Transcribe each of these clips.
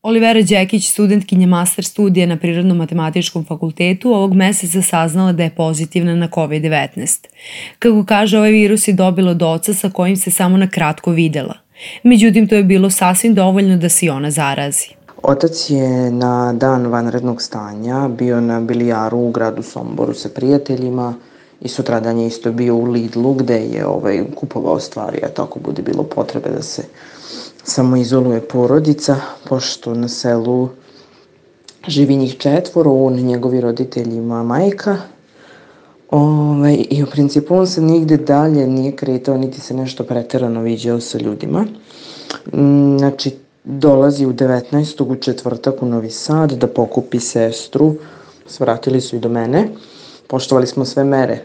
Olivera Đekić, studentkinja master studija na Prirodno-matematičkom fakultetu, ovog meseca saznala da je pozitivna na COVID-19. Kako kaže, ovaj virus je dobila od oca sa kojim se samo na kratko videla. Međutim, to je bilo sasvim dovoljno da se i ona zarazi. Otac je na dan vanrednog stanja bio na bilijaru u gradu Somboru sa prijateljima i sutradan je isto bio u Lidlu gde je kupovao stvari, a tako bude bilo potrebe da se samoizoluje porodica, pošto na selu živi njih 4, on, njegovi roditelji i moja majka. I u principu on se nigde dalje nije kretao, niti se nešto preterano viđao sa ljudima. Znači, dolazi u 19. u četvrtak u Novi Sad da pokupi sestru. Svratili su i do mene. Poštovali smo sve mere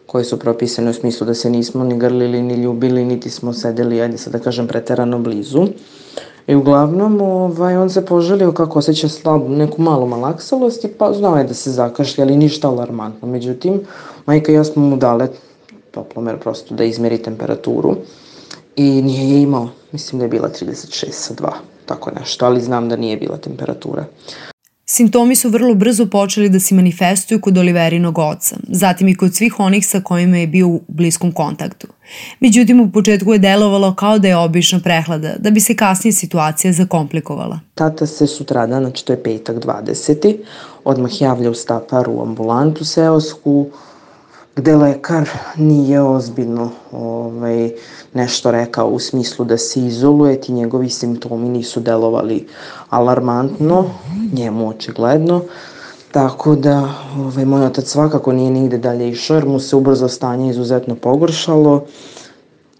koje su propisane u smislu da se nismo ni grlili, ni ljubili, niti smo sedeli, ajde sad da kažem, preterano blizu. I uglavnom, on se poželio kako osjeća slabu, neku malu malaksalost i pa znao je da se zakašlja, ali ništa alarmantno. Međutim, majka i ja smo mu dale toplomer prosto da izmeri temperaturu i nije je imao. Mislim da je bila 36,2, tako nešto, ali znam da nije bila temperatura. Simptomi su vrlo brzo počeli da se manifestuju kod Oliverinog oca, zatim i kod svih onih sa kojima je bio u bliskom kontaktu. Međutim, u početku je delovalo kao da je obična prehlada, da bi se kasnije situacija zakomplikovala. Tata se sutradan, znači to je petak 20. odmah javlja u Staparu u ambulantu seosku, gde lekar nije ozbiljno nešto rekao u smislu da se izoluje, ti njegovi simptomi nisu delovali alarmantno, njemu očigledno, tako da moj otac svakako nije nigde dalje išao jer mu se ubrzo stanje izuzetno pogoršalo,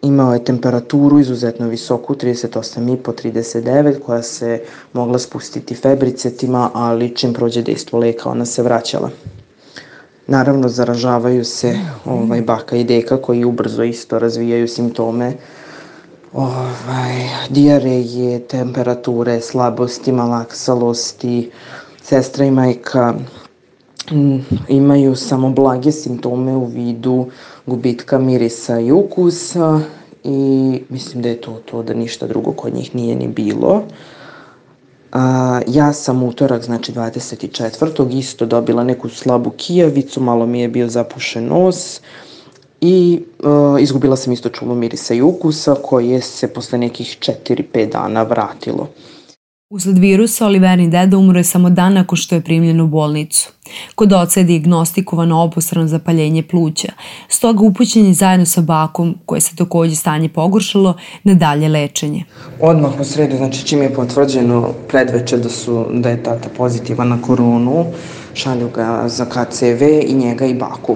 imao je temperaturu izuzetno visoku, 38,5, 39, koja se mogla spustiti febricetima, ali čim prođe dejstvo leka ona se vraćala. Naravno, zaražavaju se baka i deka koji ubrzo isto razvijaju simptome dijareje, temperature, slabosti, malaksalosti. Sestra i majka imaju samo blage simptome u vidu gubitka mirisa i ukusa i mislim da je to da ništa drugo kod njih nije ni bilo. Ja sam utorak, znači 24. isto dobila neku slabu kijavicu, malo mi je bio zapušen nos i izgubila sam isto čulo mirisa i ukusa koje se posle nekih 4-5 dana vratilo. Usled virusa, Oliverin deda umro je samo dan nakon što je primljen u bolnicu. Kod oca je dijagnostikovano obostrano zapaljenje pluća, stoga upućen je zajedno sa bakom, koje se takođe stanje pogoršalo, na dalje lečenje. Odmah u sredu, znači čim je potvrđeno predveče da je tata pozitivan na koronu, šalju ga za KCV i njega i baku.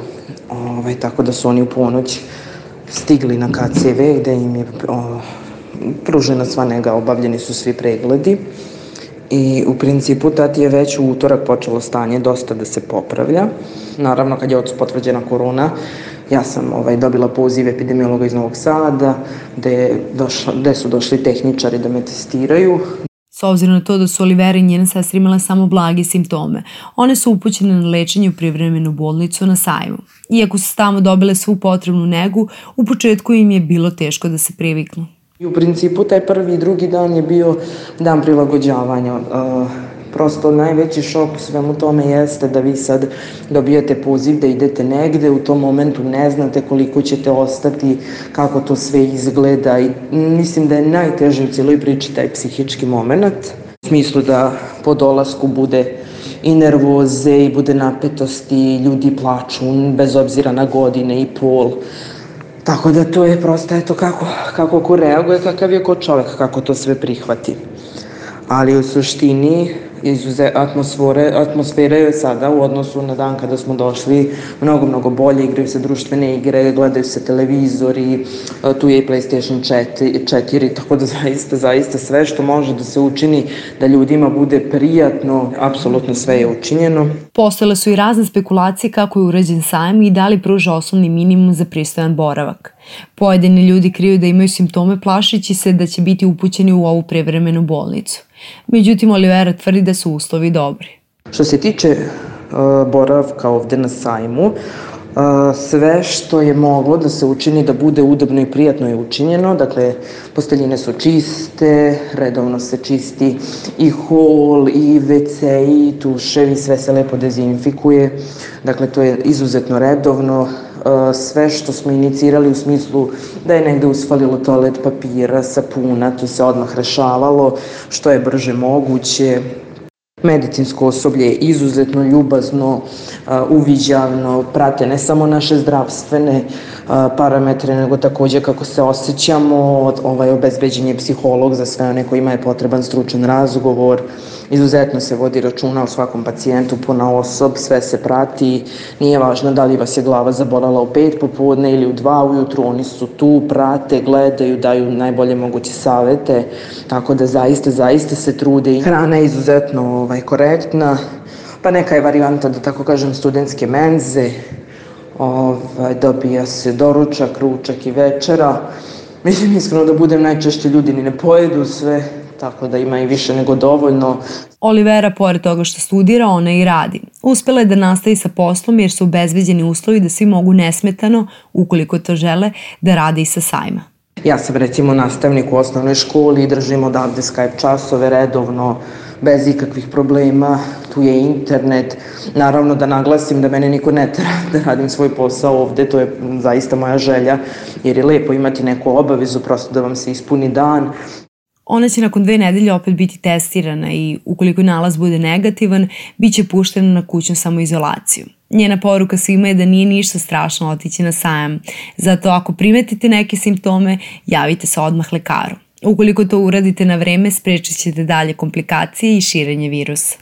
Tako da su oni u ponoć stigli na KCV gde im je pružena sva nega, obavljeni su svi pregledi i u principu tati je već u utorak počelo stanje dosta da se popravlja. Naravno, kad je ocu potvrđena korona, ja sam dobila poziv epidemiologa iz Novog Sada gde su došli tehničari da me testiraju. S obzirom na to da su Olivera i njena sestra imala samo blage simptome, one su upućene na lečenje u privremenu bolnicu na Sajmu. Iako su tamo dobile svu potrebnu negu, u početku im je bilo teško da se priviknu. I u principu taj prvi i drugi dan je bio dan prilagođavanja. Prosto najveći šok u svemu tome jeste da vi sad dobijate poziv da idete negde, u tom momentu ne znate koliko ćete ostati, kako to sve izgleda i mislim da je najteže u cijeloj priči taj psihički moment. U smislu da po dolasku bude i nervoze i bude napetosti, ljudi plaču bez obzira na godine i pol. Tako da to je prosto kako ko reaguje, kakav je ko čovek, kako to sve prihvati. Ali u suštini atmosfera je sada u odnosu na dan kada smo došli mnogo bolje, igraju se društvene igre, gledaju se televizori, tu je i PlayStation 4, tako da zaista sve što može da se učini da ljudima bude prijatno, apsolutno sve je učinjeno. Postojale su i razne spekulacije kako je urađen sajam i da li pruža osnovni minimum za pristojan boravak. Pojedini ljudi kriju da imaju simptome plašeći se da će biti upućeni u ovu prevremenu bolnicu. Međutim, Olivera tvrdi da su uslovi dobri. Što se tiče boravka ovde na sajmu, Sve što je moglo da se učini da bude udobno i prijatno je učinjeno, dakle posteljine su čiste, redovno se čisti i hol i WC i tuševi, sve se lepo dezinfikuje, dakle to je izuzetno redovno. Sve što smo inicirali u smislu da je negde usfalilo toalet papira, sapuna, to se odmah rešavalo što je brže moguće. Medicinsko osoblje je izuzetno ljubazno, uviđavno, prate ne samo naše zdravstvene parametre, nego takođe kako se osjećamo, obezbeđen je psiholog za sve one kojima je potreban stručan razgovor, izuzetno se vodi računa o svakom pacijentu ponaosob, sve se prati, nije važno da li vas je glava zabolala u 5 popodne ili u 2 ujutru, oni su tu, prate, gledaju, daju najbolje moguće savete, tako da zaista se trude. Hrana je izuzetno korektna, pa neka je varijanta, da tako kažem, studentske menze, dobija se doručak, ručak i večera. Mislim, iskreno da budem, najčešće ljudi ni ne pojedu sve, tako da ima i više nego dovoljno. Olivera, pored toga što studira, ona i radi. Uspela je da nastavi sa poslom jer su obezbeđeni uslovi da svi mogu nesmetano, ukoliko to žele, da rade i sa sajma. Ja sam recimo nastavnik u osnovnoj školi i držim odavde Skype časove redovno, bez ikakvih problema, tu je internet. Naravno da naglasim da mene niko ne tera da radim svoj posao ovde, to je zaista moja želja, jer je lepo imati neku obavezu, prosto da vam se ispuni dan. Ona će nakon 2 nedelje opet biti testirana i ukoliko nalaz bude negativan, bit će puštena na kućnu samoizolaciju. Njena poruka svima je da nije ništa strašno otići na sajam, zato ako primetite neke simptome, javite se odmah lekaru. Ukoliko to uradite na vreme, sprečit ćete dalje komplikacije i širenje virusa.